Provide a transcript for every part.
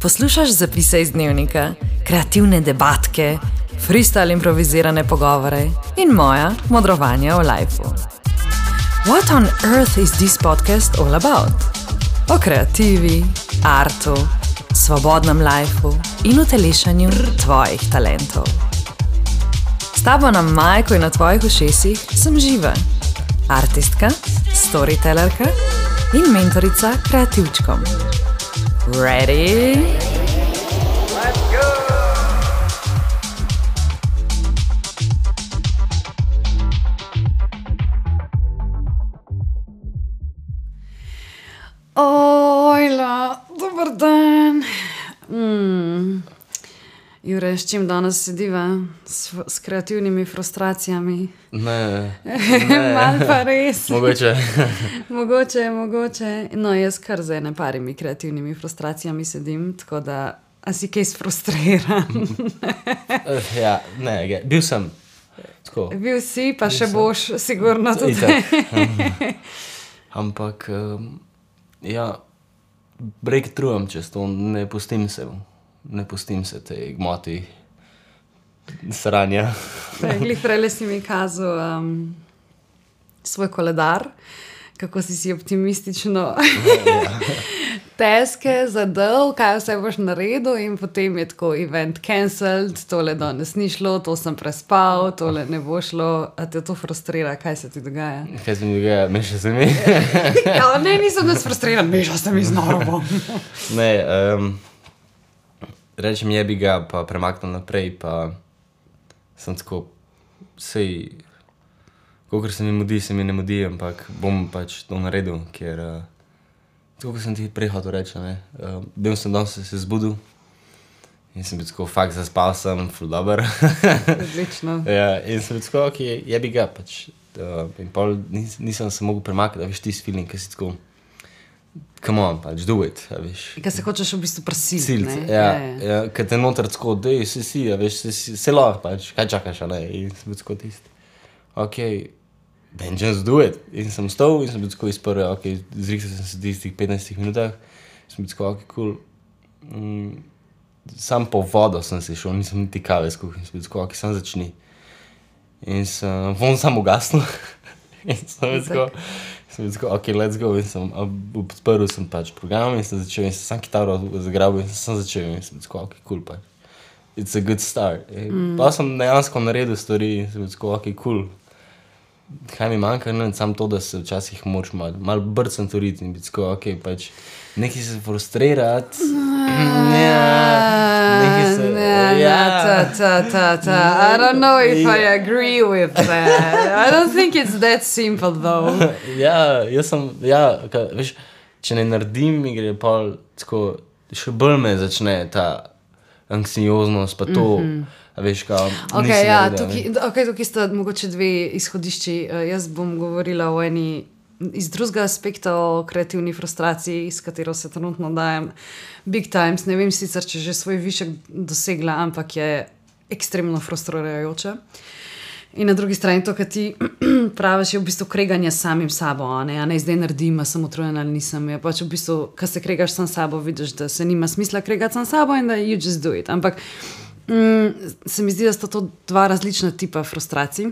Poslušaš zapise iz dnevnika, kreativne debatke, freestyle improvizirane pogovore in moja modrovanja o lifeu. What on earth is this podcast all about? O kreativi, artu, svobodnem lifeu in utelešanju tvojih talentov. S tabo na majku in na tvojih ušesih sem Živa, artistka, storytellerka in mentorica kreativčkom. Ready? Let's go! Ojla, dober dan. Jure, s čim danes sediva? S kreativnimi frustracijami? Ne. Mal pa res. Mogoče. Mogoče. No, jaz kar z ene parimi kreativnimi frustracijami sedim, tako da, a si kaj sfrustriran? Ja, ne, bil sem. Tako. Bil si, pa še boš, sigurno tudi. Ampak, ja, breakthrough čez to, ne pustim se tej gmoti sranja. Glih prele si mi kazal svoj koledar, kako si optimistično teske zadal, kaj vse boš naredil in potem je tako event cancelled, tole danes ni šlo, to sem prespal, tole ne bo šlo, a te to frustrira, kaj se ti dogaja? Kaj se mi dogaja? Meša se mi? Ja, ne, nisem nas frustriran, meša se mi z norovom. Ne, rečem jebi ga, pa premaknem naprej, pa sem tako, sej, kakor se mi ne mudi, ampak bom pač to naredil, ker, tako, kot sem ti prej hotel reči, ne, bil sem danes se zbudil in sem bil tako, fakt zaspal sem, ful dober. Odlično. Ja, in sem bil tako, ok, jebi ga, pač, in pol nisem se mogel premakati, a veš, tisti feeling, ki si tako, come on, pač, do it, a veš. Kaj se hočeš v bistvu prisiliti, ne? Ja, kaj te noter tako, dej, si, a veš, se lahko, pač, kaj čakaš, a ne, in sem bil tako tisti. Ok, then just do it. In sem stal in sem bil tako izprl, ok, zriksal sem se v tistih 15 minutah, sem bil tako, ok, cool. Sam po vodo sem se šel, nisem niti kave skuhal, sem bil tako, ok, sam začni. In sem, von sam ugasnil, in sem bil tako, ok, let's go, in sem odprl sem pač program in sem začel, in sem sam kitaro zagrabil in sem začel, in sem bil tako, ok, cool, pač. It's a good start. Pa sem dejansko naredil stvari in sem bil tako, ok, cool. Kaj mi manjka, ne, samo to, da se včasih moraš malo brcem turiti in biti tako, ok, pač, nekaj se frustrirati. I don't know if I agree with that. I don't think it's that simple, though. Ja, veš, če ne naredim, mi gre pa tako, še bolj me začne ta anksioznost, pa to, a veš, kao, Ok, ja, tukaj sta mogoče dve izhodišči. Jaz bom govorila o eni iz drugega aspekta o kreativni frustraciji, s katero se trenutno dajem big times. Ne vem sicer, če že svoj višek dosegla, ampak je ekstremno frustrirajoče. In na drugi strani to, kar ti praviš, je v bistvu kreganje s samim sabo, a ne zdaj naredim, a sem utrujen ali nisem. Je pač v bistvu, kad se kregaš sam sabo, vidiš, da se nima smisla kregati sam sabo in da you just do it. Ampak se mi zdi, da sta to dva različna tipa frustracij,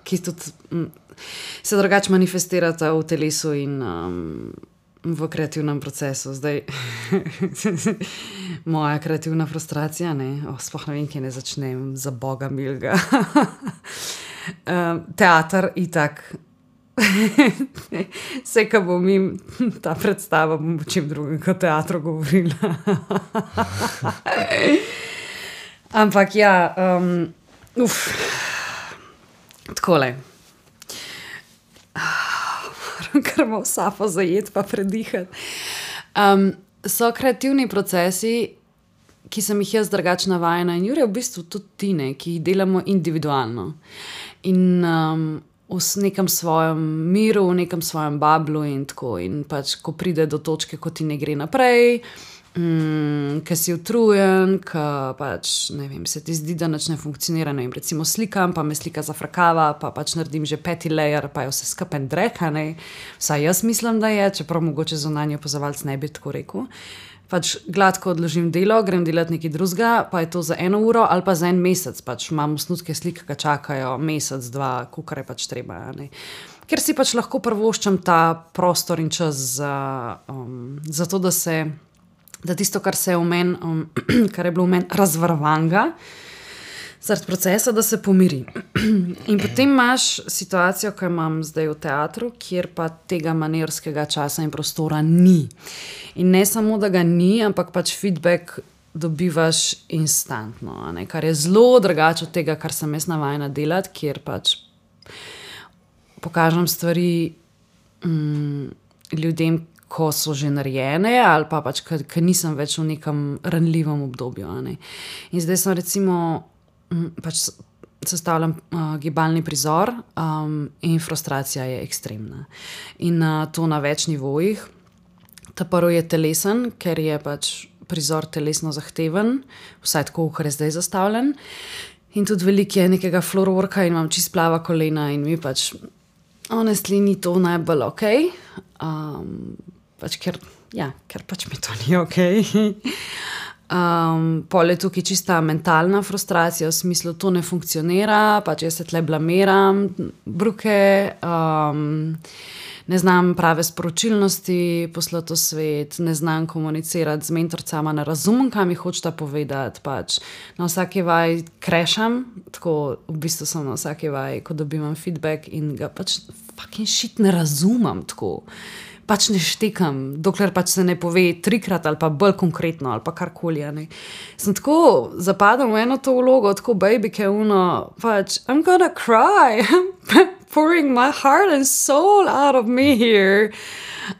ki tudi se drugače manifestirata v telesu in v kreativnem procesu. Zdaj, moja kreativna frustracija, sploh ne vem, kje ne začnem, za Boga milga. Teater itak. Vse, ka bom jim ta predstava, bom o čem drugem kot teatru govorila. Ampak ja, takole. Moram kar malo sapo zajeti pa predihati. So kreativni procesi, ki sem jih jaz drugače navajena in Jure v bistvu tudi ti, ki jih delamo individualno. In v nekem svojem miru, v nekem svojem bablu in tako. In pač, ko pride do točke, ko ti ne gre naprej, Ker si utrujen, ker pač, ne vem, se ti zdi, da nič ne funkcionira, ne vem, recimo slikam, pa me slika zafrakava, pa pač naredim že 5. layer, pa je vse skupaj dreka, ne, vsaj jaz mislim, da je, čeprav mogoče zunanji opazovalec ne bi tako rekel. Pač gladko odložim delo, grem delati nekaj drugega, pa je to za 1 uro ali pa za 1 mesec, pač imam osnutke slik, ki čakajo mesec, 2, kakor je pač treba, ne. Ker si pač lahko privoščim ta prostor in čas za to, da tisto, kar se je v meni, kar je bilo v meni razvarovanga, zaradi procesa, da se pomiri. In potem imaš situacijo, ki imam zdaj v teatru, kjer pa tega manevrskega časa in prostora ni. In ne samo, da ga ni, ampak pač feedback dobivaš instantno, ne? Kar je zelo drugače od tega, kar sem jaz navajena delati, kjer pač pokažem stvari ljudem, ko so že narejene, ali pa pač, ker nisem več v nekem ranljivem obdobju. Ne. In zdaj sem recimo, pač sestavljam gibalni prizor in frustracija je ekstremna. In to na več nivojih. Ta prvi je telesen, ker je pač prizor telesno zahteven, vsaj tako, kar je zdaj zastavljen. In tudi veliko je nekega floorworka in imam čist plava kolena in mi pač honestly ni to najbolj okej. Pač ker pač mi to ni okej. Pol je tukaj čista mentalna frustracija, v smislu, to ne funkcionira, pač jaz se tle blamiram, bruke, ne znam prave sporočilnosti poslati v svet, ne znam komunicirati z mentorcama, ne razumem, kaj mi hočeta povedati, pač na vsaki vaj crasham, tako v bistvu sem na vsaki vaj, ko dobimam feedback in ga pač fucking shit ne razumem, tako. Pač ne štekam, dokler pač se ne pove 3-krat ali pa bolj konkretno ali pa karkoli. Sem tako zapadam v eno to vlogo, tako baby, ki je pač I'm gonna cry, I'm pouring my heart and soul out of me here.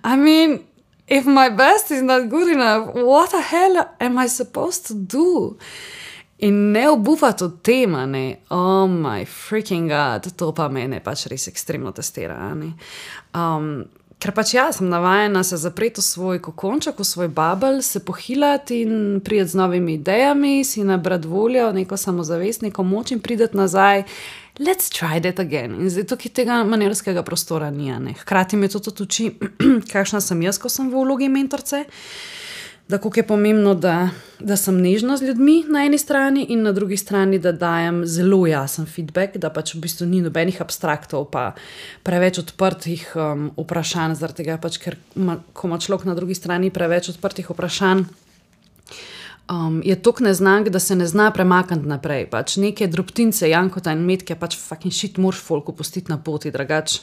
I mean, if my best is not good enough, what the hell am I supposed to do? In ne obupati od tema, ne, oh my freaking god, to pa mene pač res ekstremno testira, ne. Ker pač sem navajena se zapreti v svoj kokonček, v svoj bubble, se pohilati in priti z novimi idejami, si nabrati voljo, neko samozavest, neko moč in priti nazaj. Let's try that again. In zdaj tukaj tega manevrskega prostora ni, ne. Hkrati me to tudi uči, kakšna sem jaz, ko sem v vlogi mentorce, da koliko je pomembno, da sem nežna z ljudmi na eni strani in na drugi strani, da dajem zelo jasen feedback, da pač v bistvu ni nobenih abstraktov pa preveč odprtih vprašanj, zaradi tega pač, ker ko ima človek na drugi strani preveč odprtih vprašanj, je toliko neznank, da se ne zna premakniti naprej. Pač neke drobtince, jankota in metke, pač fucking shit moraš folku pustiti na poti, drugač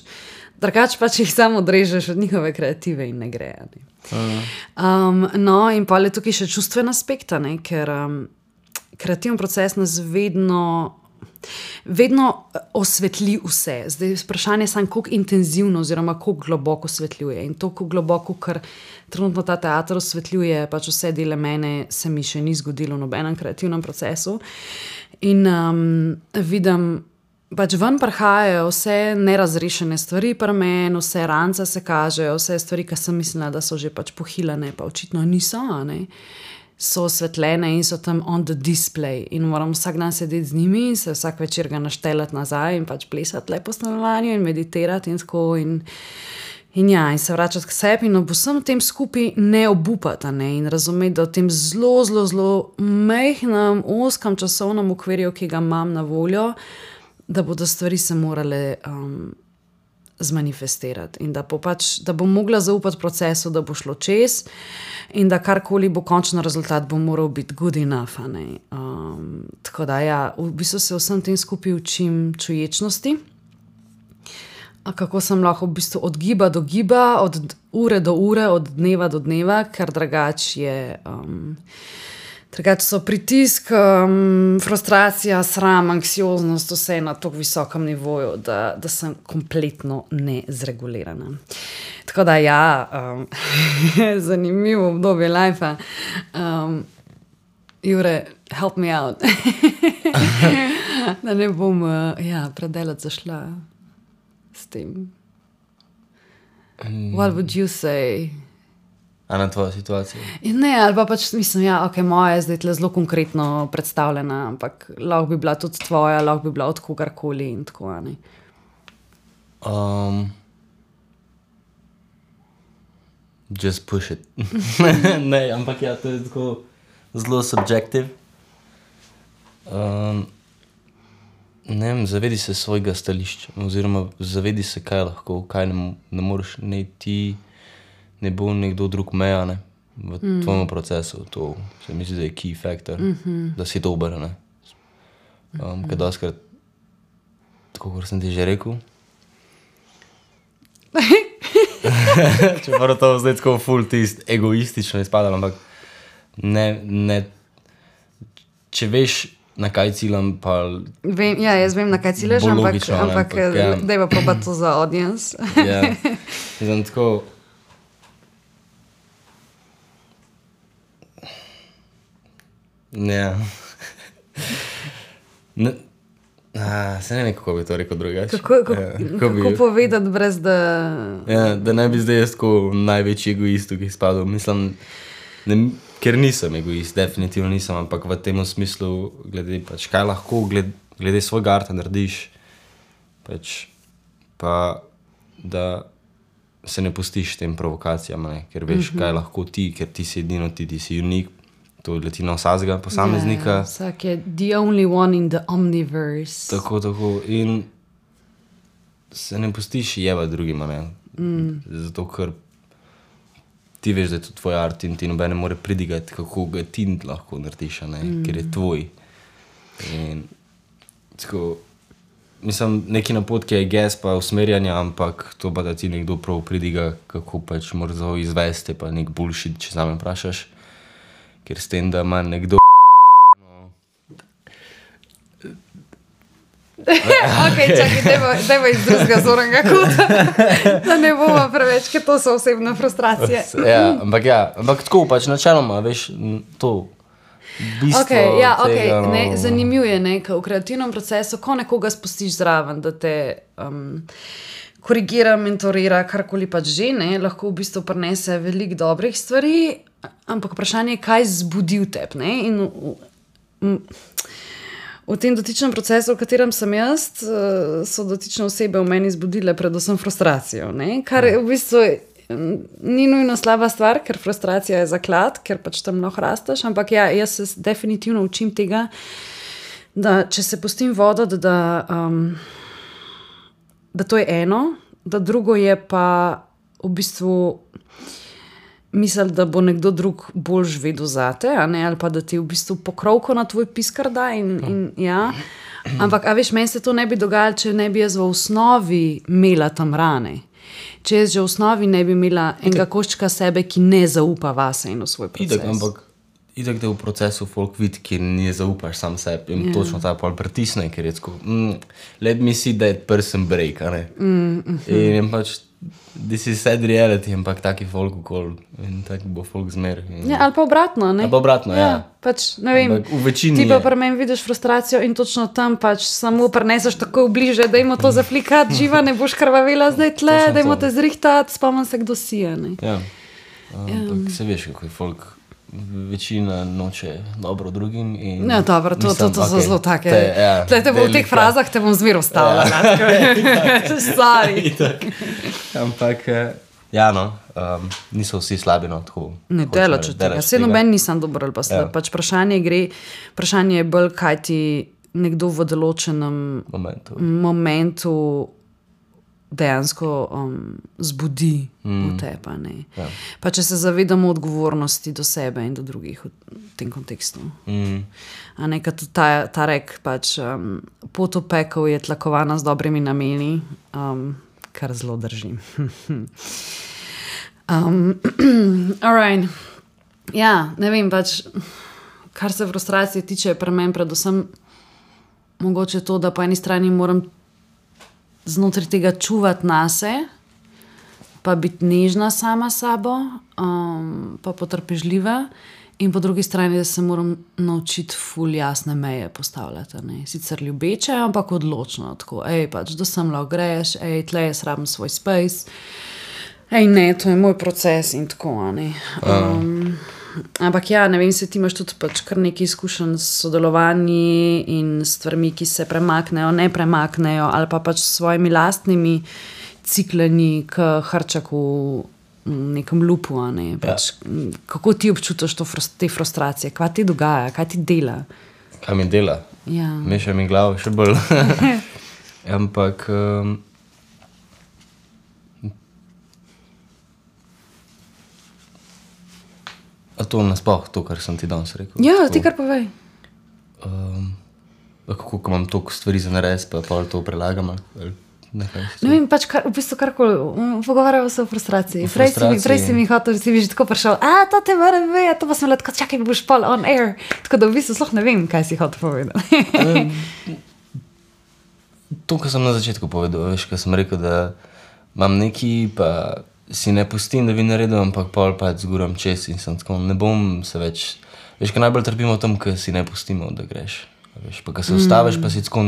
pač jih samo odrežeš od njihove kreative in ne gre. Ne. No, in pa je tukaj še čustven aspekt, ne, ker kreativen proces nas vedno osvetli vse. Zdaj vprašanje je samo, koliko intenzivno oziroma koliko globoko osvetljuje. In to, koliko globoko, ker trenutno ta teater osvetljuje, pač vse dele mene se mi še ni zgodilo v nobenem kreativnem procesu. In vidim, pač ven prihajajo vse nerazrešene stvari pri meni, vse rance se kažejo, vse stvari, ki sem mislila, da so že pač pohilane, pa očitno niso, ne. So osvetljene in so tam on the display in moram vsak dan sedeti z njimi in se vsak večer ga naštelati nazaj in pač plesati lepo stanovanju in meditirati in tako in se vračati k sebi in ob vsem tem skupaj ne obupati, ne, in razumeti, da v tem zelo majhnem, ozkem časovnem okvirju, ki ga imam na voljo, da bodo stvari se morale zmanifestirati in da bom mogla zaupati procesu, da bo šlo čez in da karkoli bo končni rezultat, bo moral biti good enough. Tako da v bistvu se vsem tem skupaj učim čuječnosti, kako sem lahko v bistvu od giba do giba, od ure do ure, od dneva do dneva, ker drugače so pritisk, frustracija, sram, anksioznost, vse na tako visokem nivoju, da sem kompletno nezregulirana. Tako da zanimivo obdobje lifea. Jure, help me out. Da ne bom predaleč zašla s tem. What would you say? A na tvojo situacijo? Ne, ali pa pač mislim, ja, ok, moja je zdaj tle zelo konkretno predstavljena, ampak lahko bi bila tudi tvoja, lahko bi bila od kogarkoli in tako, ne. Just push it. Ne, ampak ja, to je tako zelo subjektiv. Ne vem, zavedi se svojega stališča, oziroma zavedi se, kaj lahko, kaj ne moreš, ne ti, ne bo nekdo drug meja, ne, v tvojemu procesu. To se mi zdi, da je key factor, da si dober, ne. Kaj doskrat, tako kot sem ti že rekel, čeprav to zdaj tako ful tist egoistično izpadalo, ampak ne, če veš, na kaj ciljam, pa Vem, ja, jaz vem, na kaj ciljaš, bolj ampak logično, ne, ampak, ja. dajva probati to za audience. Ja, mislim tako. Ja. Ne, se ne vem, kako bi to rekel drugače. Kako povedati brez da... Ja, da ne bi zdaj jaz tako največji egoist, ki izpadel. Mislim, ker nisem egoist, definitivno nisem, ampak v tem smislu, glede pač, kaj lahko glede svojega arta narediš, pač, pa da se ne pustiš tem provokacijam, ne, ker veš, kaj lahko ti, ker ti si edino ti si unik, to leti na vsakega posameznika. Ja, vsak je the only one in the omniverse. Tako, in se ne pustiš jevati drugima, ne, zato ker ti veš, da je to tvoj art in ti nobene more pridigati, kako ga ti lahko narediš, ne, ker je tvoj. In tako, mislim, neki napotki je gest pa usmerjanja, ampak to pa da ti nekdo prav pridiga, kako pač moraš izvesti, pa nek bullshit, če zame vprašaš, ker s tem, da ima nekdo Ok, čakaj, dajmo iz drugega zornega kota, da ne bomo preveč, ker to so osebne frustracije. ampak tako pač načeloma, veš, to bistvo tega, ne, zanimivo je, ne, v kreativnem procesu, ko nekoga spustiš zraven, da te korigira, mentorira, karkoli pač že, ne, lahko v bistvu prinese veliko dobrih stvari, ampak vprašanje je, kaj zbudi v tebi, ne, in v tem dotičnem procesu, v katerem sem jaz, so dotične osebe v meni zbudile predvsem frustracijo, ne? Kar v bistvu ni nujno slaba stvar, ker frustracija je zaklad, ker pač tam lahko rasteš, ampak ja, jaz se definitivno učim tega, da če se pustim voditi, da to je eno, da drugo je pa v bistvu misli, da bo nekdo drug bolj vedel zate, a ne, ali pa da ti v bistvu pokrovko na tvoj piskar da in ja. Ampak, a veš, meni se to ne bi dogajalo, če ne bi jaz v osnovi imela tam rane. Če jaz že v osnovi ne bi imela enega koščka sebe, ki ne zaupa vase in v svoj proces. Ampak itak te v procesu folk vidi, ki ne zaupaš sam sebi in točno ta pol pritisne, ker je tako, let me see that person break, a ne. In pač this is sad reality, ampak taki folk okol in taki bo folk zmer. Ja, ali pa obratno, ne? Ali pa obratno, ja. Pač, ne vem, v večini ti pa pri meni vidiš frustracijo in točno tam pač samo prineseš tako bliže, dajmo to zaflikati, živa, ne boš krvavela zdaj tle, dajmo te zrihtati, spomnim se, kdo si je, ne? Ja, ampak se veš, kako je folk, večina noče dobro drugim in... Ja, dobro, to so zelo take... Tle te bo v teh frazah te bom zmer ustavila. Stari. Ampak, ja no, niso vsi slabi, no, tako... Ne, delač od tega. Vse noben nisem dober ali pa slab. Pač vprašanje je bolj, kaj ti nekdo v določenem momentu dejansko zbudi v tebi, ne. Ja. Pa če se zavedamo odgovornosti do sebe in do drugih v tem kontekstu. A ne, kad ta rek, pač pot v pekel je tlakovana z dobrimi nameni, kar zelo držim. Alright. Ja, ne vem, pač, kar se frustracije tiče, pri meni predvsem mogoče to, da po eni strani moram znotraj tega čuvati nase, pa biti nežna sama sabo, pa potrpežljiva, in po drugi strani, da se moram naučiti ful jasne meje postavljati, ne. Sicer ljubeče, ampak odločno, tako, pač, da sem lahko greš, tle jaz rabim svoj space, Ne, to je moj proces in tako, ampak ja, ne vem, se ti imaš tudi pač kar nekaj izkušenj s sodelovanji in stvarmi, ki se premaknejo, ne premaknejo, ali pa pač s svojimi lastnimi cikleni k hrčaku v nekem lupu, pač, kako ti občutiš te frustracije, kaj ti dogaja, kaj ti dela? Kaj mi dela? Ja. Meša mi glavo še bolj. Ampak a to nasploh, to, kar sem ti danes rekel? Ja, ti kar povej. Kako imam toliko stvari za narediti, pa to prelagam ali nekaj? Ne vem, pač v bistvu karkoli, pogovarjamo se o frustraciji. Prej si mi hotel, si mi že tako prišel, to te moram vedeti, to pa sem tako, čakaj, boš pol on air. Tako da v bistvu sploh ne vem, kaj si hotel povedati. To, kar sem na začetku povedal, veš, ko sem rekel, da imam neki, pa si ne pustim, da bi naredil, ampak pol pa zguram čez in sem tako, ne bom se več, veš, ko najbolj trpimo v tem, ko si ne pustimo, da greš, veš, pa ko se ustaviš, pa si tako,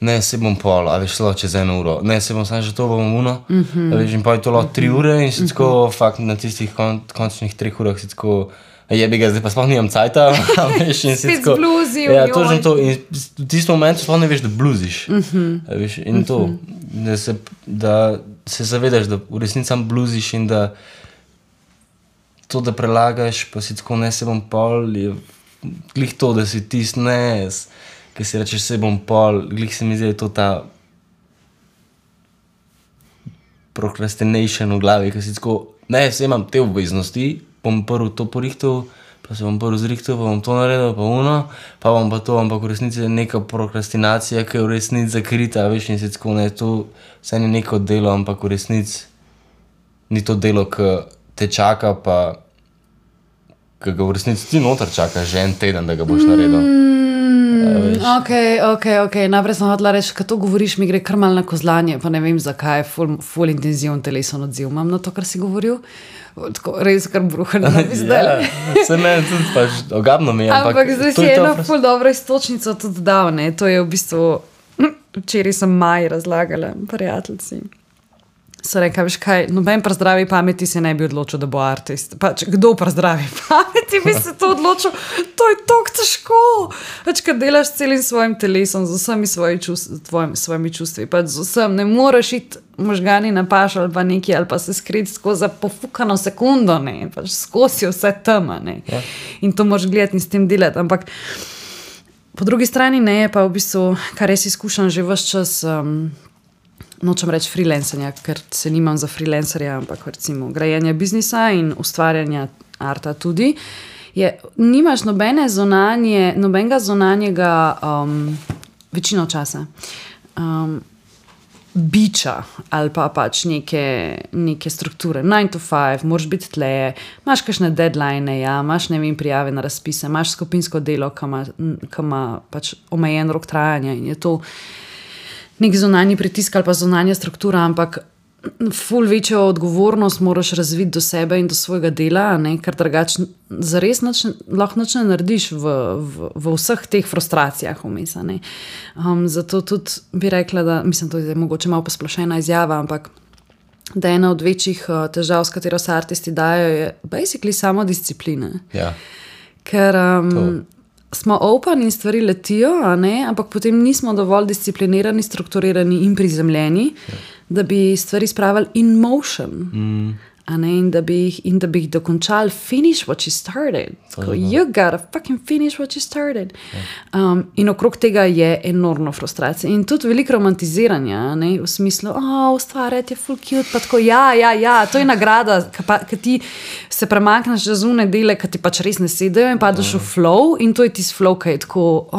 ne, se bom pol, a veš, celo čez 1 uro, ne, se bom sam že to bom uno, a veš, in pa je to lahko 3 ure in si tako, fakt, na tistih končnih 3 urah si tako, jebi ga, zdaj pa sploh nimam cajta, a veš, in si spet tako, zbluzil, ja, točno to, in v tistem momentu sploh ne veš, da bluziš, a veš, in to, da se zavedaš, da v resnici sam bluziš in da to, da prelagaš, pa si tako, ne, se bom pol, je glih to, da si tist, ne, ki si rečeš, se bom pol, glih se mi zdi, to ta procrastination v glavi, ki si tako, ne, se imam te obveznosti, bom prvo to porihtal, pa se bom prvo zrihtal, pa bom to naredil, pa uno, pa bom pa to, ampak v resnici je neka prokrastinacija, ki je v resnici zakrita, veš, in se tako, ne, to vse ni neko delo, ampak v resnici ni to delo, ki te čaka, pa ki ga v resnici ti noter čaka že 1 teden, da ga boš naredil. Ok, najprej sem hotela reči, ko to govoriš, mi gre kar malo na kozlanje, pa ne vem zakaj, ful intenziven telesen odziv imam na to, kar si govoril. Tako, res kar bruhali na bi zdaj. Ja, se ne, tudi pač ogabno mi je. Ampak zdaj si eno ful dobro istočnico tudi dal, ne, to je v bistvu, včeraj sem Maji razlagala, prijateljci. So rekla, veš kaj, noben pri zdravi pameti se ne bi odločil, da bo artist. Pač, kdo pri zdravi pameti bi se to odločil? To je tako težko. Pač, kad delaš celim svojim telesom, z vsemi svojimi čustvi, pač z vsem, ne moreš iti možgani na paš ali pa nekaj, ali pa se skriti skozi pofukano sekundo, ne, pač skozi vse tema, ne. Ja. In to moraš gledati in s tem delati, ampak po drugi strani ne, pa v bistvu, kar res izkušam že ves čas, nočem reči freelancanja, ker se nimam za freelancerja, ampak recimo grajenja biznisa in ustvarjanja arta tudi, je, nimaš nobenega zunanjega večino časa biča ali pa pač neke strukture, 9 to 5, moraš biti tleje, imaš kakšne deadline, ja, imaš, ne vem, prijave na razpise, imaš skupinsko delo, ki ima pač omejen rok trajanja in je to nek zunanji pritisk ali pa zunanja struktura, ampak ful večjo odgovornost moraš razviti do sebe in do svojega dela, ne, ker drugače zares lahko nič ne narediš v vseh teh frustracijah vmes, ne. Zato tudi bi rekla, da, mislim, to je mogoče malo posplošena izjava, ampak da ena od večjih težav, s katero se artisti dajo, je basically samo disciplina. Ja. Ker smo open in stvari letijo, ampak potem nismo dovolj disciplinirani, strukturirani in prizemljeni, da bi stvari spravili in motion. In da bi jih dokončali, finish what you started. You gotta fucking finish what you started. In okrog tega je enormno frustracija in tudi veliko romantiziranja, v smislu, ustvarjati je full cute, pa tako, ja, to je nagrada, ki ti se premakneš že zunaj dele, ki ti pač res ne sedajo in padeš v flow in to je tisti flow, ki je tako,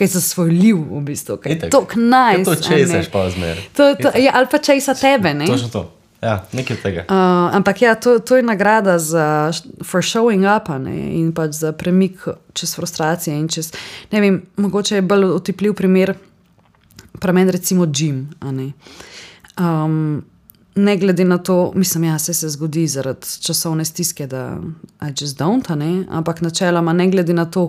kaj je zasvojljiv v bistvu, kaj je tok nice. To česaš pa zmer. Ali pa česa tebe, ne? Točno to. Ja, nekaj tega. Ampak ja, to je nagrada for showing up, in pač za premik čez frustracije in čez, ne vem, mogoče je bolj otipljiv primer pri meni recimo gym, ne glede na to, mislim, ja, se zgodi zaradi časovne stiske, da I just don't, ampak načeloma ne glede na to,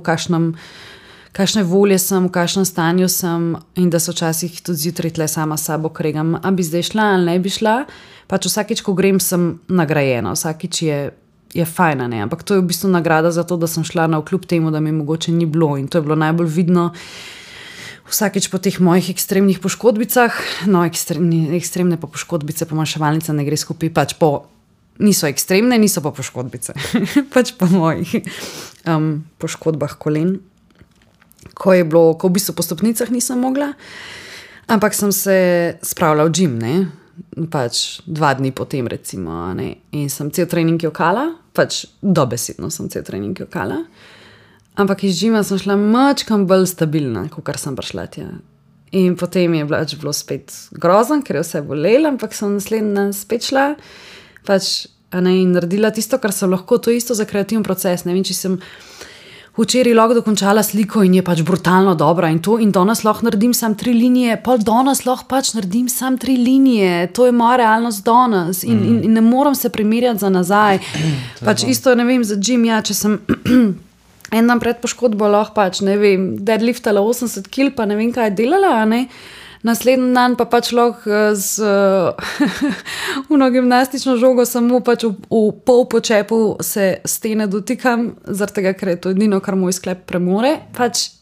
kakšne volje sem, v kakšnem stanju sem in da se včasih tudi zjutraj tle sama s sabo kregam, a bi zdaj šla ali ne bi šla, pač vsakič, ko grem, sem nagrajena, vsakič je fajna, ne, ampak to je v bistvu nagrada za to, da sem šla navkljub temu, da mi mogoče ni bilo in to je bilo najbolj vidno vsakič po teh mojih ekstremnih poškodbicah, no, ekstremne pa poškodbice, pomanjševalnica ne gre skupaj, pač niso ekstremne, niso pa poškodbice, pač po mojih poškodbah kolen, ko v bistvu po stopnicah nisem mogla, ampak sem se spravila v gym, ne, pač 2 dni potem recimo, ne, in sem cel trening jokala, pač dobesedno sem cel trening jokala, ampak iz gyma sem šla mačkam bolj stabilna, kot sem prišla tja. In potem je bilo spet grozno, ker je vse bolelo, ampak sem naslednji dan spet šla, pač, in naredila tisto, kar sem lahko, to isto za kreativni proces, ne vem, če sem včeraj lahko dokončala sliko in je pač brutalno dobra in to, in danes lahko naredim sam 3 linije, pol danes lahko pač naredim sam 3 linije, to je moja realnost danes in ne moram se primerjati za nazaj. Pač isto, ne vem, za gym, ja, če sem en dan pred poškodbo lahko pač, ne vem, deadliftala 80 kg, pa ne vem, kaj je delala, ne, naslednji dan pa pač lahko z gimnastično žogo samo pač v pol počepu se stene dotikam, zaradi tega, ker je to edino, kar moj sklep premore, pač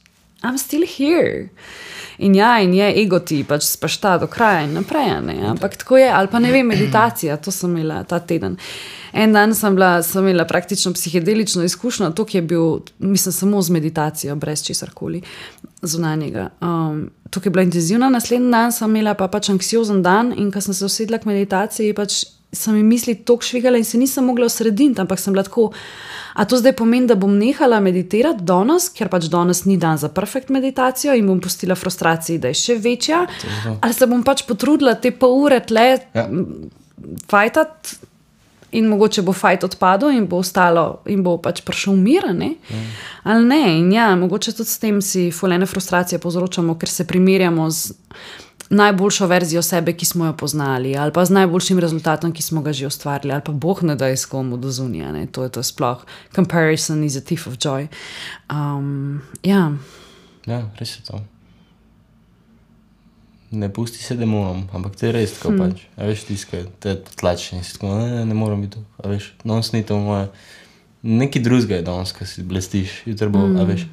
I'm still here. In je ego ti, pač spašta do kraja in naprej, ne, ampak tako je, ali pa ne vem, meditacija, to sem imela ta teden. En dan sem imela praktično psihedelično izkušnjo, to, ki je bil, mislim, samo z meditacijo, brez česarkoli zunanjega. To, ki je bila intenzivna, naslednji dan sem imela pa pač anksiozen dan in ko sem se usedla k meditaciji, pač sem mi misli toliko švigala in se nisem mogla osrediti, ampak sem bila tako, a to zdaj pomeni, da bom nehala meditirati danes, ker pač danes ni dan za perfekt meditacijo in bom pustila frustraciji, da je še večja, ali se bom pač potrudila te pol ure tle fajtati in mogoče bo fajt odpadel in bo ostalo in bo pač prišel mir, ne? Ali ne, in mogoče tudi s tem si fulene frustracije povzročamo, ker se primerjamo z najboljšo verzijo sebe, ki smo jo poznali, ali pa z najboljšim rezultatom, ki smo ga že ustvarili, ali pa Bog ne da s komu do zunija, ne, to je sploh. Comparison is a thief of joy. Ja, res je to. Ne pusti se demonom, ampak to je res tako pač. A veš, tiskaj, te tlači in si tako, ne moram biti to, a veš, danes ni to moje. Neki drugega je danes, ko si blestiš, jutro bo, a veš,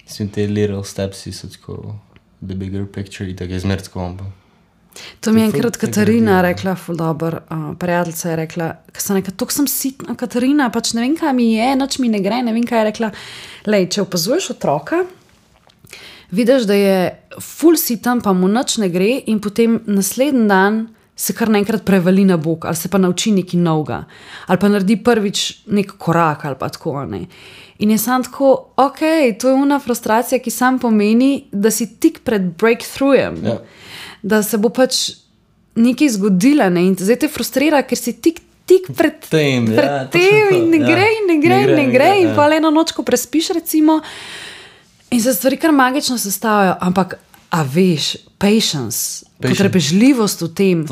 mislim, te little stepsi so tako the bigger picture in tako je zmertko on pa. To mi je enkrat Katarina rekla, ful dober, prijateljica je rekla, ko sem rekla, tok sem sitna, Katarina, pač ne vem, kaj mi je, nič mi ne gre, ne vem, kaj je rekla. Lej, če opazuješ otroka, vidiš, da je ful sitan, pa mu nič ne gre in potem naslednji dan se kar naenkrat prevali na bok, ali se pa nauči nekaj novega, ali pa naredi prvič nek korak, ali pa tako, ne. In je sam tako, to je una frustracija, ki sam pomeni, da si tik pred breakthroughem, da se bo pač nekaj zgodila, ne, in zdaj te frustrira, ker si tik pred tem in ne gre in pa eno noč, ko prespiš recimo, in se stvari kar magično sestavljajo, ampak a veš, patience, potrpežljivost v tem,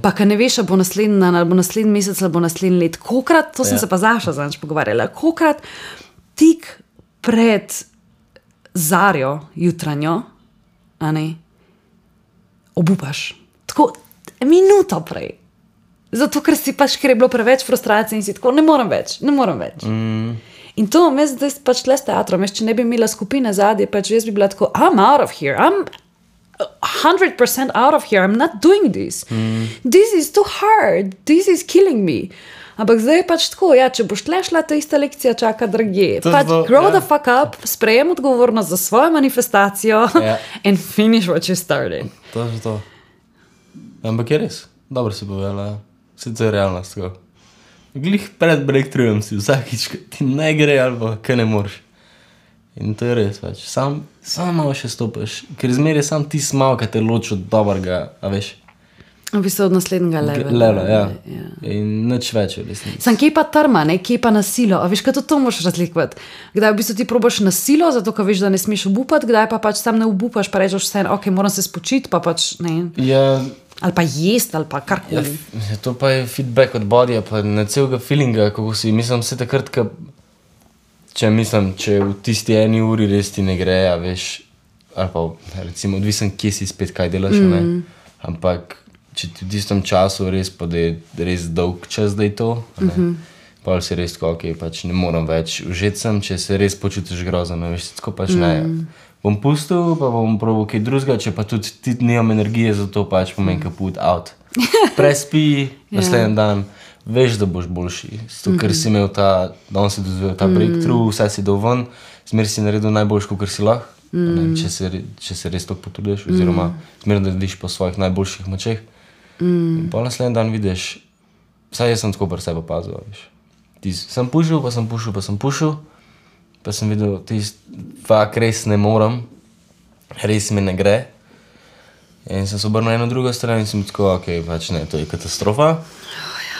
pa ka ne veš, a bo naslednji dan, ali bo naslednji mesec, ali bo naslednji let, kolikrat, to sem se pa Zaša zadnjič pogovarjala, kolikrat tik pred zarjo jutranjo, a ne, obupaš, tako minuto prej, zato ker si pač, ker je bilo preveč frustracije in si tako, ne moram več. In to, zdaj pač tle s teatrom, če ne bi imela skupine zadnje, pač jaz bi bila tako, I'm out of here, I'm 100% out of here, I'm not doing this. This is too hard, this is killing me. Ampak zdaj je pač tako, če boš tle šla, ta ista lekcija čaka drugje. Pač grow the fuck up, sprejem odgovornost za svojo manifestacijo and finish what you started. To je to. Ampak je res, dobro si povedala, vse to je realnost, tako. Glih pred breakthroughem si vsakič, ti ne gre ali pa kaj ne moreš. In to je res, pač. Sam malo še stopiš, ker zmeraj sam ti smal, kaj te loči od dobrega, a veš. V bistvu od naslednjega levela. Ja. In nič več v resnici. Sam kje pa trma, ne, kje pa nasilo, a veš, kaj to moraš razlikovati. Kdaj v bistvu ti probaš nasilo, zato ka veš, da ne smeš obupati, kdaj pa pač sam ne obupaš, pa rečeš vse, moram se spočiti, pa pač ne. Ja. Ali pa jest, ali pa karkoli. Ja, to pa je feedback od bodyja, pa ne celega feelinga, kako si, mislim, vse takrat, če v tisti eni uri res ti ne gre, a veš, ali pa recimo odvisen, kje si spet kaj delaš, ne? Ampak če ti v tistem času res pa da je res dolg čas, da je to, ne? Pa si res tako, ok, pač ne moram več užeti sem, če se res počutiš grozno, ne veš, tako pač ne. Bom pustil, pa bom probal kaj drugega, če pa tudi ti nimam energije za to, pač pomeni kaput out. Prespi, naslednji dan, veš, da boš boljši. Zato, ker si imel danes si dozvel ta breakthrough, vse si dal ven, zmer si naredil najboljš, kakor si lahko, če se res tako potrudiš, oziroma zmer narediš po svojih najboljših močeh. In pa naslednji dan vidiš, vsaj jaz sem tako pri sebi opazil, veš. Sem pušil, pa sem videl, fak res ne moram, res mi ne gre. In sem se obrnil na eno drugo stran in sem tako, ok, pač ne, to je katastrofa.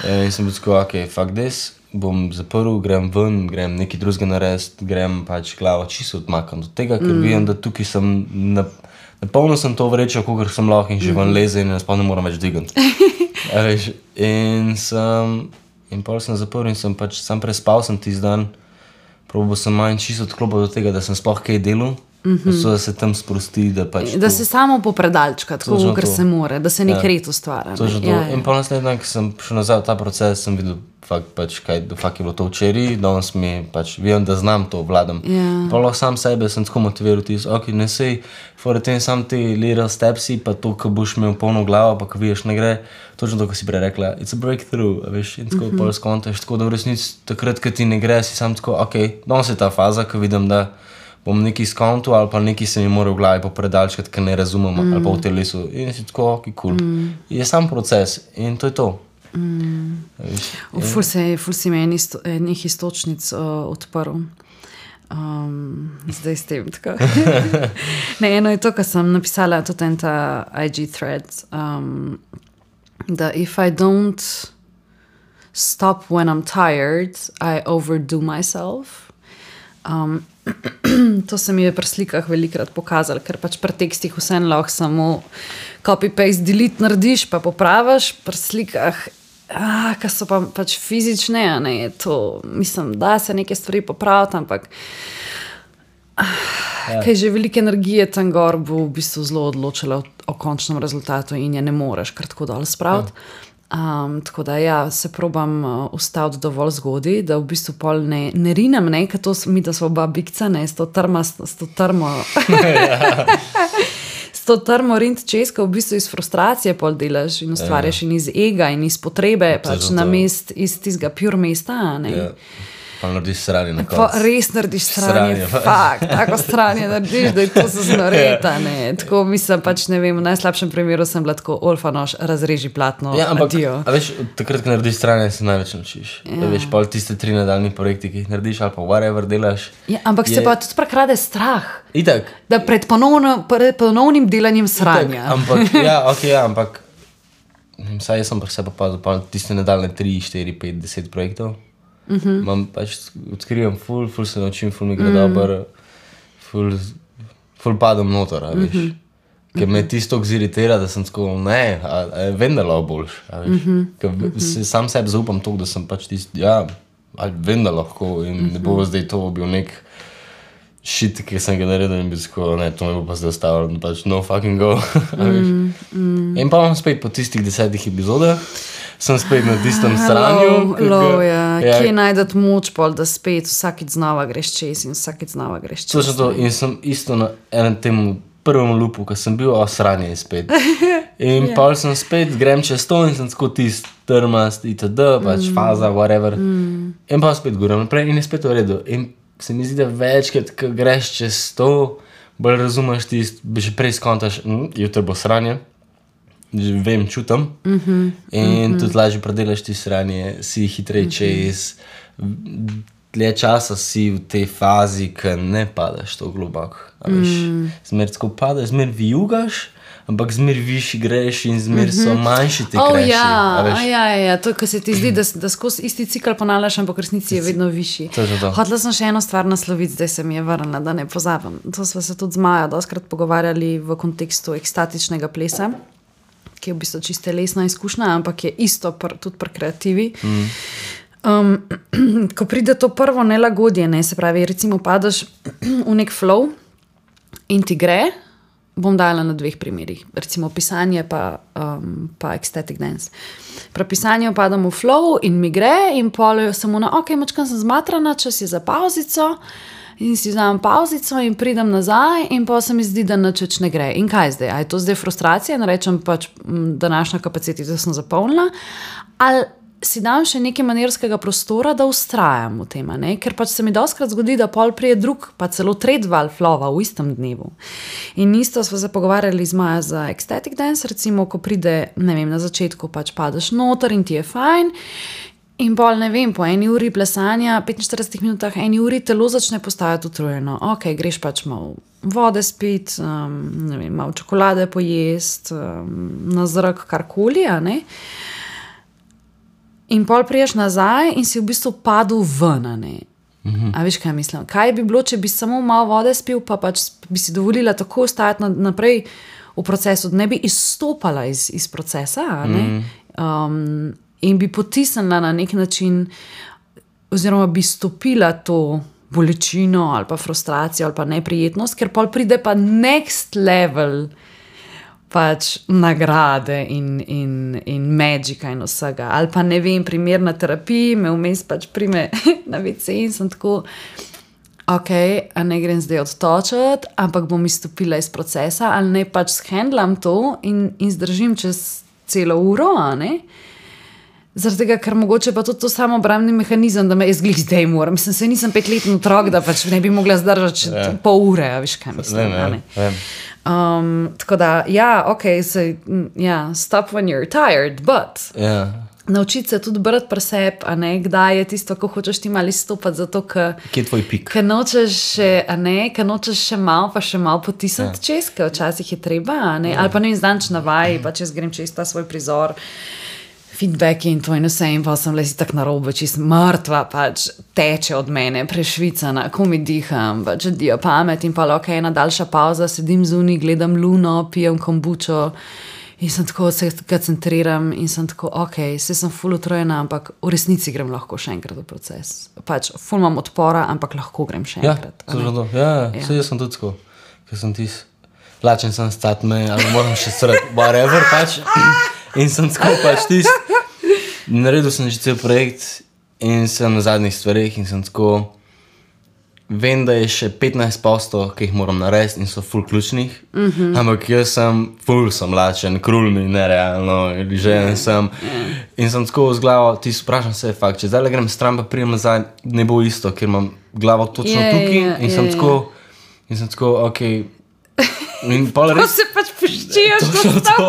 In sem tako, ok, fuck this, bom zaprl, grem ven, grem nekaj drugega narediti, grem pač glavo čisto odmakam do tega, ker vidim, da tukaj sem, napolnil sem to vrečo, kakor sem lahko in že ven leze in sploh ne moram več digati. In pol sem zaprl in sem pač sam prespal sem tisti dan, probal sem manj čisto odklopil do tega, da sem sploh kaj delal, da se tam sprosti, da pač da se samo popredalčka, tako ker se more, da se nek red ustvarja. In pa naslednji dan, ko sem šel nazaj v ta proces, sem videl, pač kaj, fakt je bilo to včeraj, danes mi pač vem, da znam to, vladam. Pa lahko sam sebe sem tako motiviral, ok, ne sej, fore tem sam te little stepsi, pa to, ko boš imel polno glavo, pa ko vidiš ne gre, točno to, ko si prej rekla, it's a breakthrough, veš, in tako pol skontaš, tako da v resnici takrat, ko ti ne gre, si sam tako, ok, danes je ta faza, ko vidim, da bom nekaj skontu ali pa nekaj se mi mora v glavi popredalčkati, ker ne razumem, ali pa v telesu, in si tako, ok, cool. Je sam proces in to je to. Ful si me enih istočnic odprl. Zdaj s tem tako. Ne, eno je to, kar sem napisala tudi en ta IG thread, da if I don't stop when I'm tired, I overdo myself. To se mi je pri slikah velikrat pokazalo, ker pač pri tekstih vseeno lahko samo copy-paste, delete narediš, pa popraviš, pri slikah, ki so pa pač fizične, ne, je to, mislim, da se neke stvari popraviti, ampak kaj že velike energije tam gor bo v bistvu zelo odločila o končnem rezultatu in je ne moreš kar tako dol spraviti. Tako da ja, se probam ustaviti dovolj zgodaj, da v bistvu pol ne rinem, ne, ker to mi da sva oba bikca, ne, s to termo rint čez, ko v bistvu iz frustracije pol delaš in ustvarjaš in iz ega in iz potrebe, pač na mest iz tistega pure mesta, ne. Pa narediš sranje na konc. Res narediš sranje, fakt, tako sranje narediš, da je to se znoreta, ne. Tako mislim, pač ne vem, v najslabšem primeru sem bila tako, Olfanoš, razreži platno, adijo. A veš, takrat, ko narediš sranje, se največ naučiš. Veš, pol tiste 3 nadaljni projekti, ki jih narediš, ali pa whatever delaš. Ja, ampak se pa tudi prekrade strah. Itak. Da pred ponovnim delanjem sranja. Ampak, ampak, saj jaz sem pri sebi opazil, pa tiste nadaljne 3, 4, 5, 10 projektov. Imam pač, odkrivam ful se naučim, ful mi gre dober, ful padam noter, a veš. Ker me tisto iritira, da sem tako, ne, vem, da lahko boljš, a veš. Ker sam sebi zaupam toliko, da sem pač tisto, ja, vem, da lahko in ne bo zdaj to bil nek shit, ki sem ga naredil in bi tako, ne, to me bo pa zdaj ostavilo, pač no fucking go, a veš. In pa imam spet po tistih 10 epizodah, sem spet na tistem stranju. Kje najdete moč pol, da spet vsakič znova greš čez in vsakič znova greš čez. Točno to, in sem isto na enem temu prvem loopu, ko sem bil, sranje je spet. In pol sem spet, grem čez to in sem tako tist trmast, itd, pač faza, whatever. In pa spet grem naprej in je spet v redu. In se mi zdi, da večkrat, ko greš čez to, bolj razumeš tist, že prej skontaš, jutri bo sranje. Vem, čutam in tudi lažje predelaš ti sranje, si hitrej čez, dlje časa si v tej fazi, ko ne padaš to globoko, zmer tako padaš, zmer vijugaš, ampak zmer višji greš in zmer so manjši te kreši. Ja, to, ko se ti zdi, da skozi isti cikl ponavljaš, ampak v resnici je vedno višji. Hotela sem še eno stvar nasloviti, zdaj se mi je vrnila, da ne pozabim. To sva se tudi z Majo doskrat pogovarjali v kontekstu ekstatičnega plesa, ki je v bistvu čisto lesna izkušnja, ampak je isto tudi pri kreativi. Ko pride to prvo nelagodje, ne, se pravi, recimo padeš v nek flow in ti gre, bom dala na 2 primerih, recimo pisanje pa ecstatic dance. Pri pisanju padam v flow in mi gre in pol samo na, mačkam sem zmatrana, čas je za pauzico in si vzamem pauzico in pridem nazaj in pa se mi zdi, da nič ne gre. In kaj zdaj? A je to zdaj frustracija in rečem pač, današnja kapaciteta sem zapolnila, ali si dam še nekaj manevrskega prostora, da ustrajam v tem, ne? Ker pač se mi dostikrat zgodi, da pol prije drug, pa celo tretji val flowa v istem dnevu. In isto smo se pogovarjali z Maja za ecstatic dance, recimo, ko pride, ne vem, na začetku pač padeš noter in ti je fajn, in pol, ne vem, po 1 uri plesanja, 45 minutah, 1 uri telo začne postajati utrujeno. Greš pač malo vode spit, ne vem, malo čokolade pojest, na zrak karkoli, a ne? In pol priješ nazaj in si v bistvu padel ven, ne? A veš, kaj mislim? Kaj bi bilo, če bi samo malo vode spil, pa pač bi si dovolila tako ostajati naprej v procesu, da ne bi izstopala iz procesa, ne? In bi potisnila na nek način, oziroma bi stopila to bolečino ali pa frustracijo ali pa neprijetnost, ker pol pride pa next level pač nagrade in magika in vsega. Ali pa ne vem, primer na terapiji, me vmes pač prime na WC in sem tako, a ne grem zdaj odtočiti, ampak bom izstopila iz procesa, ali ne pač shendlam to in zdržim čez celo uro, a ne? Zaradi tega, ker mogoče pa tudi to samoobrambni mehanizem, da me jaz glih zdaj moram. Mislim, se nisem 5-letni otrok, da pač ne bi mogla zdržati pol ure, a veš, kaj mislim, ne? Tako da, stop when you're tired, but naučiti se tudi brati pri sebi, a ne, kdaj je tisto, ko hočeš ti malo izstopati, zato, kje je tvoj pik? Ker nočeš še malo, pa še malo potisniti čez, ker včasih je treba, a ne, ali pa ne izdanč na vaji, pa čez grem čez ta svoj prizor, feedback in to in vse, in pa sem le si tak narobe, čist mrtva, pač teče od mene, prešvicana, ko mi diham, pač odijo pamet in pa ena daljša pauza, sedim zunaj, gledam luno, pijem kombučo in sem tako, se koncentriram in sem tako, se sem ful utrujena, ampak v resnici grem lahko še enkrat v proces. Pač ful imam odpora, ampak lahko grem še enkrat. Saj jaz sem tudi tako, ker sem lačen sem stati me, ali moram še srati, whatever, pač. In sem tako pač naredil sem že cel projekt in sem na zadnjih stvarih in sem tako, vem, da je še 15%, ki jih moram narediti in so ful ključnih, ampak jaz sem lačen, krul mi nerealno, želen sem in sem tako z glavo, vprašam se, fakt, če zdaj grem stran pa prijem nazaj, ne bo isto, ker imam glavo točno tukaj in sem tako, in pol res... Ko se pač poščijaš, Točno to.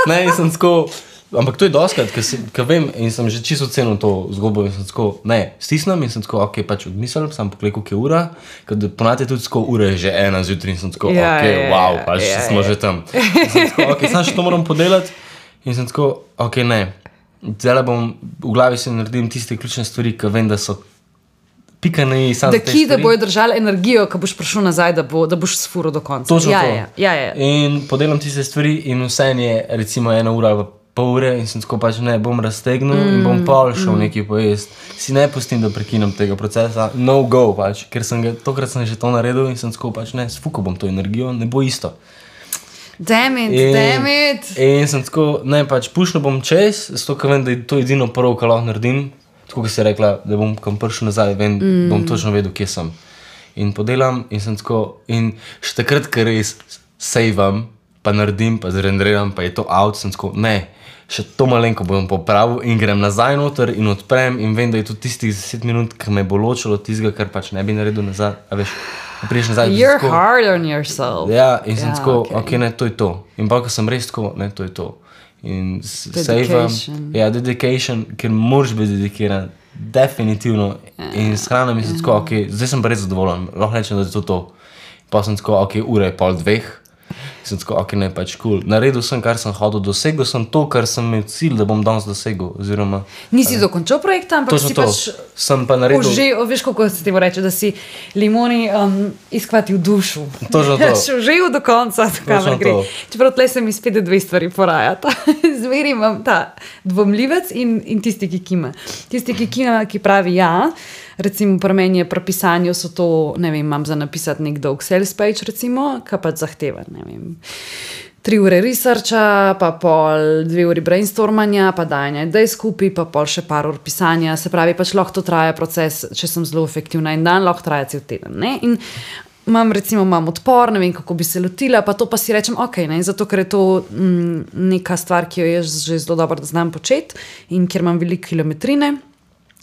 Ne, in sem tako, ampak to je doskrat, ker vem in sem že čisto ocenil to zgodbo in sem tako, stisnem in sem tako, pač odmislil, sem pogledal, koliko je ura, ker ponavadi je tudi tako, ura je že 1 zjutraj in sem tako, wow, pač smo že tam. In sem tako, sam še to moram podelati in sem tako, ne, zdaj bom, v glavi si naredim tiste ključne stvari, ker vem, da so pikani sam te stvari. Da bojo držali energijo, ko boš prišel nazaj, da boš sfuro do konca. Točno to. In podelam tiste stvari in vse je recimo 1 ura ali pol ure in sem tako pač ne, bom raztegnil in bom pol šel nekaj pojest. Si ne pustim, da prekinem tega procesa, no go pač, ker tokrat sem že to naredil in sem tako pač ne, sfukal bom to energijo, ne bo isto. Damn it. In sem tako, ne, pač pušnil bom čez, zato ker vem, da je to edino prvo, kar lahko naredim. Tako, ki si rekla, da bom kam prišel nazaj, bom točno vedel, kje sem. In podelam in sem tako, in še takrat, ker res saveam, pa naredim, pa zrenderiram, pa je to out, sem tako, ne, še to malenko bom popravil in grem nazaj noter in odprem in vem, da je to tistih 10 minut, ki me bo ločilo tistega, kar pač ne bi naredil nazaj, a veš, priješ nazaj. You're hard on yourself. Ja, in sem tako, ne, to je to. In pa, ko sem res tako, ne, to je to. In dedication, ker moraš biti dedikiran, definitivno. In s hrano mislim tako, zdaj sem pa res zadovoljen, lahko rečem, da je to. Pa sem tako, ura je 1:30, Sem tako, ok, ne, pač cool. Naredil sem, kar sem hodil, dosegel sem to, kar sem imel cilj, da bom danes dosegel. Oziroma, nisi dokončal projekta, ampak si pač sem pa naredil... Veš, kako se ti bo reče, da si limoni izkvatil dušu. Točno to. Živ do konca, kamor gre. Čeprav tle se mi spet dve stvari porajata. Zveri imam ta dvomljivec in tisti, ki kima. Tisti, ki kima, ki pravi ja, recimo pri meni je pri pisanju so to, ne vem, imam za napisati nek dolg sales page, recimo, ki pač zahteva, ne vem, 3 ure researcha, pa pol 2 uri brainstormanja, pa dajanja idej skupaj, pa pol še par ur pisanja, se pravi, pač lahko to traja proces, če sem zelo efektivna in dan, lahko traja cel teden, ne, in imam odpor, ne vem, kako bi se lotila, pa to pa si rečem, ok, ne, zato, ker je to neka stvar, ki jo jaz že zelo dobro znam početi in kjer imam veliko kilometrine.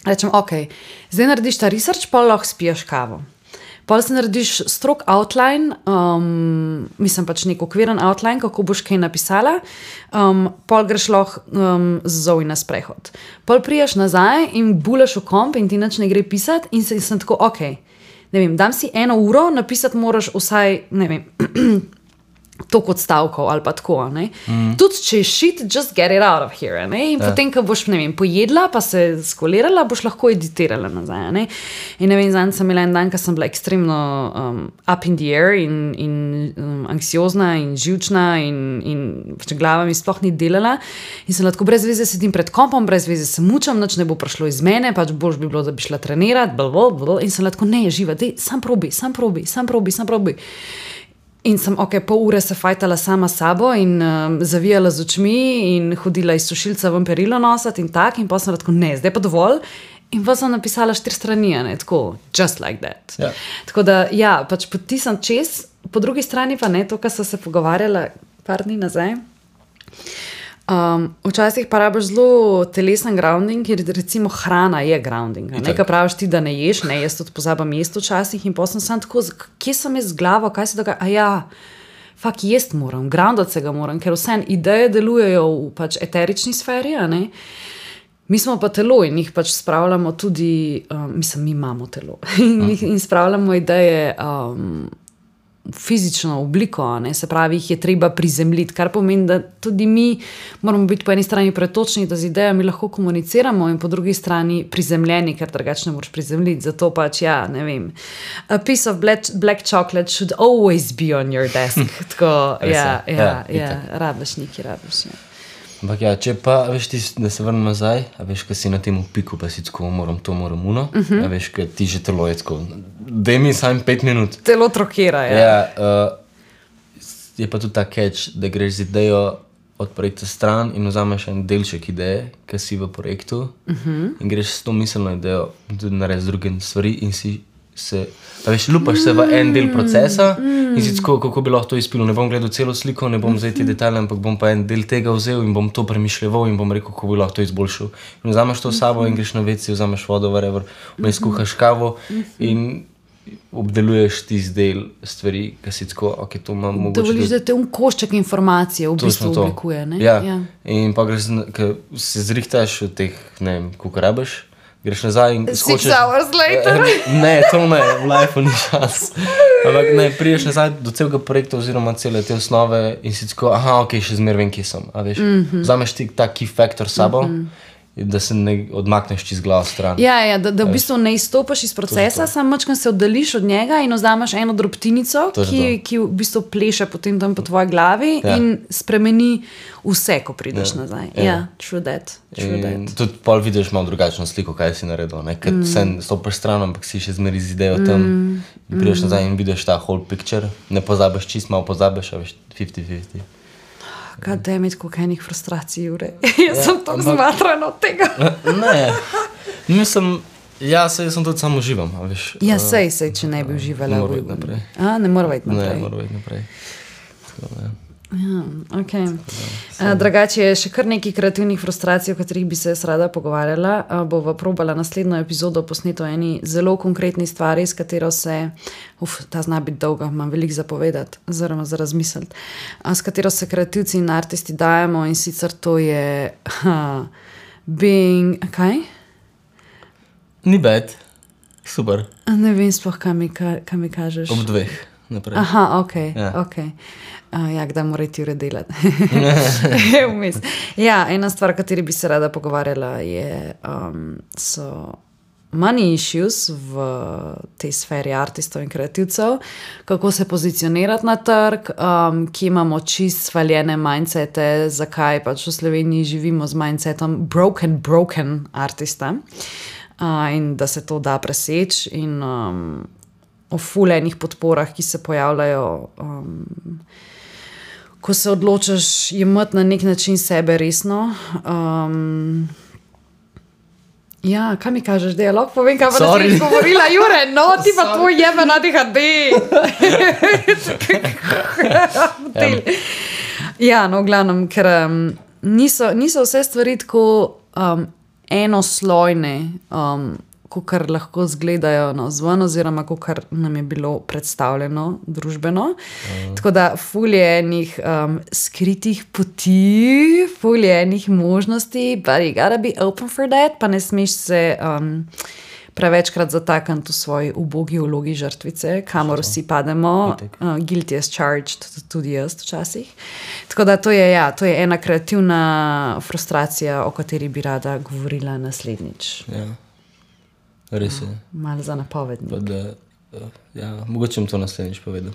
Rečem, ok, zdaj narediš ta research, pol lahko spiješ kavo. Pol se narediš strok outline, mislim pač nek okviren outline, kako boš kaj napisala, pol greš lahko z Zoe na sprehod. Pol priješ nazaj in bulaš v komp in ti nič ne gre pisati in sem tako, ok, ne vem, dam si 1 uro, napisati moraš vsaj, ne vem, toliko odstavkov ali pa tako, ne. Tudi če je shit, just get it out of here, ne. In potem, ko boš, ne vem, pojedla, pa se skolirala, boš lahko editirala nazaj, ne. In ne vem, zanj sem imela en dan, ko sem bila ekstremno up in the air in anksiozna in živčna in pač glava mi sploh ni delala in sem lahko brez veze sedim pred kompom, brez veze se mučam, nič ne bo prišlo iz mene, pač boš bi bilo, da bi šla trenirati, in sem lahko, ne, živa, dej, sam probi. In sem, ok, pol ure se fajtala sama s sabo in zavijala z očmi in hodila iz sušilca ven perilo nosati in tak, in pa sem tako, ne, zdaj pa dovolj. In pa sem napisala 4 strani, ne, tako, just like that. Ja. Tako da, ja, pač potisam čez, po drugi strani pa ne, to, kar so se pogovarjala par dni nazaj. Včasih pa rabiš zelo telesen grounding, ker recimo hrana je grounding. Nekaj praviš ti, da ne ješ, ne, jaz tudi pozabam jesti včasih in potem sem tako, kje sem jaz z glavo, kaj se dogaja, ja, fakt jesti moram, groundati se ga moram, ker vse ideje delujejo v pač eterični sferi, ne. Mi smo pa telo in jih pač spravljamo tudi, mislim, mi imamo telo in spravljamo ideje fizično obliko, ne? Se pravi, jih je treba prizemljiti, kar pomeni, da tudi mi moramo biti po eni strani pretočni, da z idejami lahko komuniciramo in po drugi strani prizemljeni, ker drugače ne moraš prizemljiti. Zato pač, ja, ne vem, a piece of black chocolate should always be on your desk. Tako, rabiš neki, ja. Ampak ja, če pa, veš ti, da se vrnem nazaj, a veš, ka si na tem piku, pa si tako, moram uno, a veš, ka ti že telo je tako, daj mi sam 5 minut. Telo trokira, ja. Ja, je pa tudi ta catch, da greš z idejo od projekta stran in vzameš en delček ideje, ki si v projektu in greš s to miselno idejo tudi narediti druge stvari in si se, a veš, lupaš se v en del procesa in si tako, kako bi lahko to izpilil. Ne bom gledal celo sliko, ne bom zdaj ti detalje, ampak bom pa en del tega vzel in bom to premišljeval in bom rekel, kako bi lahko to izboljšal. In vzameš to s sabo in greš na WC, vzameš vodo, whatever, vmes kuhaš kavo in obdeluješ tisti del stvari, ki si tako, ok, to imam mogoče... Dovoliš, da te košček informacije v bistvu oblikuje, ne? Ja, in pa greš, ko se zrihtaš od teh, ne vem, koliko rabiš, greš nazaj in skočiš... 6 hours later. Ne, to ne, v lifeu ni čas. Ampak ne, priješ nazaj do celega projekta oziroma cele te osnove in si tako, aha, ok, še zmer vem, kje sem. A veš, vzameš ti ta key factor s sabo, da se ne odmakneš čez glavo stran. Ja, da v bistvu ne izstopaš iz procesa, samo mačkam se oddališ od njega in vzameš eno drobtinico, ki v bistvu pleše potem tam po tvoji glavi in spremeni vse, ko prideš nazaj. Ja, true that. Tudi pol vidiš malo drugačno sliko, kaj si naredil, ne? Ker se stopaš stran, ampak si še zmeri z idejo tam in prideš nazaj in vidiš ta whole picture, ne pozabiš, čist malo pozabiš, a veš, 50-50. God damn it, koliko enih frustracij, Jure. Jaz sem tako zmatrana od tega. Ne, mislim, ja, sej sem tudi samo uživam, a veš. Ja, sej, če ne bi uživala. Ne mora iti naprej. Ne mora iti naprej. Ne, mora iti naprej. Tako, ne. Ja, ok. Drugače je še kar nekaj kreativnih frustracij, o katerih bi se rada pogovarjala. Bova probala naslednjo epizodo posneto eni zelo konkretni stvari, s katero se, ta zna biti dolga, imam veliko zapovedati, oziroma za razmisliti, s katero se kreativci in artisti dajemo in sicer to je being, kaj? Ni bad, super. Ne vem sploh, kaj mi kažeš. Ob 2. naprej. Aha, ok. Ja, kdaj morate Jure delati? Ja, ena stvar, o kateri bi se rada pogovarjala, so money issues v tej sferi artistov in kreativcev, kako se pozicionirati na trg, ki imamo čist svaljene mindsete, zakaj pač v Sloveniji živimo z mindsetom broken artista in da se to da preseči in o fulejnih podporah, ki se pojavljajo, ko se odločaš jemati na nek način sebe resno. Ja, kaj mi kažeš, da je lahko povem, kaj pa da si govorila, Jure, no, ti pa tvoj jebe na DHD. Ja, no, v glavnem, ker niso vse stvari tako enoslojne, kakor lahko zgledajo navzven, oziroma kakor nam je bilo predstavljeno družbeno. Tako da ful je enih skritih poti, ful je enih možnosti, but you gotta be open for that, pa ne smeš se prevečkrat zatakniti v svoji ubogi vlogi žrtvice, kamor vsi pademo, guilty as charged, tudi jaz včasih. Tako da to je ena kreativna frustracija, o kateri bi rada govorila naslednjič. Ja. Res je. Malo za napovednik. Mogoče bom to naslednjič povedal.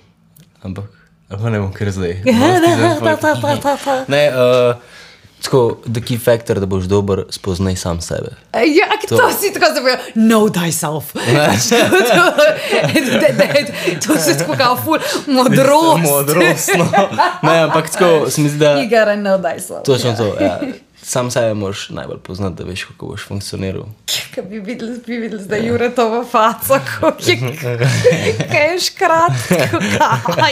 Ampak, ne bom kar zdaj. Ne, tako, the key factor, da boš dober, spoznaj sam sebe. Ja, to si tako zapovedal. Know thyself. To si tako kao ful modrost. Modrost, no. Ne, ampak tako, se mi zdi, da... You gotta know thyself. Točno to, ja. Sam sebe moraš najbolj poznati, da veš, kako boš funkcioniral. Kaj bi videli zdaj Jure to v faco, kaj je škrat,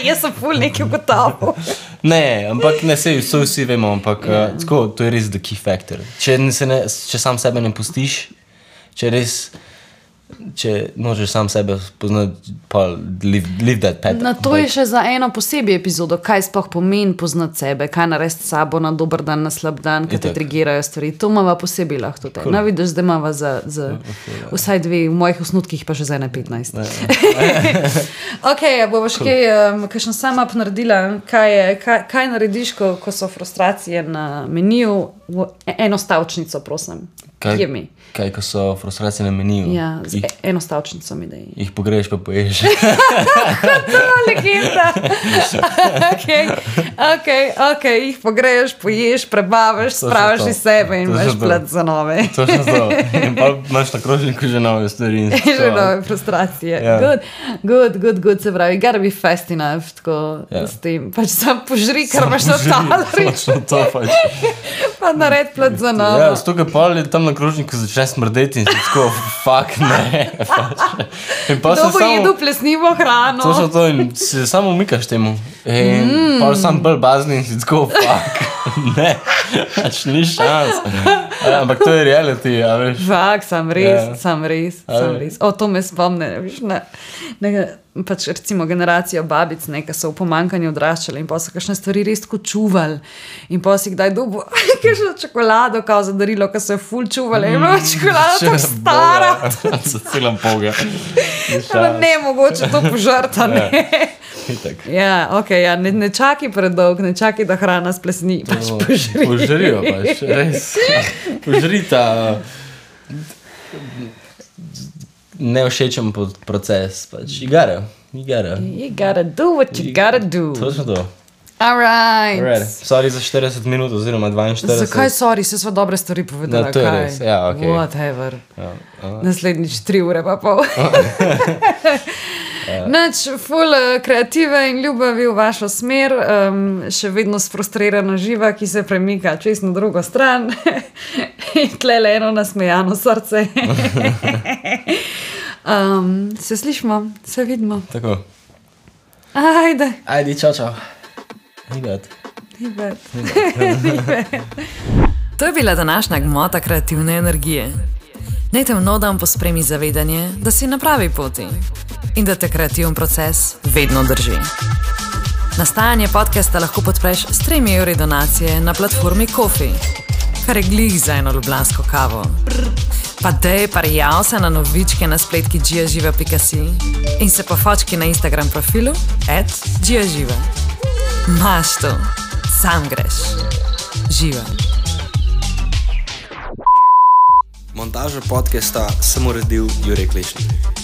jaz sem ful nekaj ugotovil. Ne, ampak ne, so vsi vemo, ampak tako, to je res the key factor. Če sam sebe ne pustiš, če možeš sam sebe poznati, pa live that path. Na to je še za eno posebej epizodo, kaj sploh pomeni poznati sebe, kaj narediti s sabo na dober dan, na slab dan, kaj te trigirajo stvari. To imava posebej lahko to. No, vidiš, da imava za vsaj 2, v mojih osnutkih pa še za 15. Ok, bova še kakšen sum-up naredila, kaj narediš, ko so frustracije na meniju, eno stavčnico, prosim. Kaj, ko so frustracije na meniju? Ja, z eno stavčnico mi da jih pogreješ pa poješ. To je legenda. Ok, jih pogreješ, poješ, prebavaš, spraviš iz sebe in imaš plat za nove. Točno to. In pa imaš na krožniku že nove stvari. Že nove frustracije. Good, se pravi, gotta be fast enough, tako s tem. Pač sam požri, kar imaš na talerju. Točno to pač. Pa nared plat za nove. Ja, s toga pa tam na krožniku začne smrdeti in si tako, fuck, ne. Kdo bo jedel plesnivo hrano? Točno to in se samo umikaš temu. In pa sam bolj bazni in si tako, fuck, ne. Pač ni šans. Ampak to je reality, a veš. Fuck, sam res. O, to me spomne, veš, pač recimo generacijo babic, ki so v pomanjkanju odraščali in pa so kakšne stvari res tako čuvali in pa si kdaj dobil kakšno čokolado kao za darilo, ko so jo ful čuvali in bila čokolada tako stara. Za celam poga. Ne, mogoče to požrta, ne. Ja, ok, ne čaki predolg, ne čaki, da hrana splesni, pač požri. Požrijo pač, res. Požrita nevšečen proces, pač. You gotta do what you gotta do. Točno to. Alright. Sorry za 40 minut oziroma 42. Zakaj sorry? Se sva dobre stvari povedala. To je res, ja, ok. Whatever. Naslednjič 3 ure pa pol. Nač, ful kreative in ljubavi v vašo smer, še vedno sfrustrirana živa, ki se premika čez na drugo stran in tlele eno nasmejano srce. Se slišimo, se vidimo. Tako. Ajde, čau. Nibet. To je bila današnja gmota kreativne energije. Naj te v nov dan pospremi zavedanje, da si na pravi poti in da te kreativen proces vedno drži. Nastajanje podcasta lahko podpreš s 3 evri donacije na platformi Ko-fi. kar je glih za eno ljubljansko kavo. Pa dej, prijav se na novičke na spletki giaživa.si in se pofočki na Instagram profilu @giaživa. Maš to, sam greš. Živa. Montažo podcasta sem uredil Jurek Lešnik.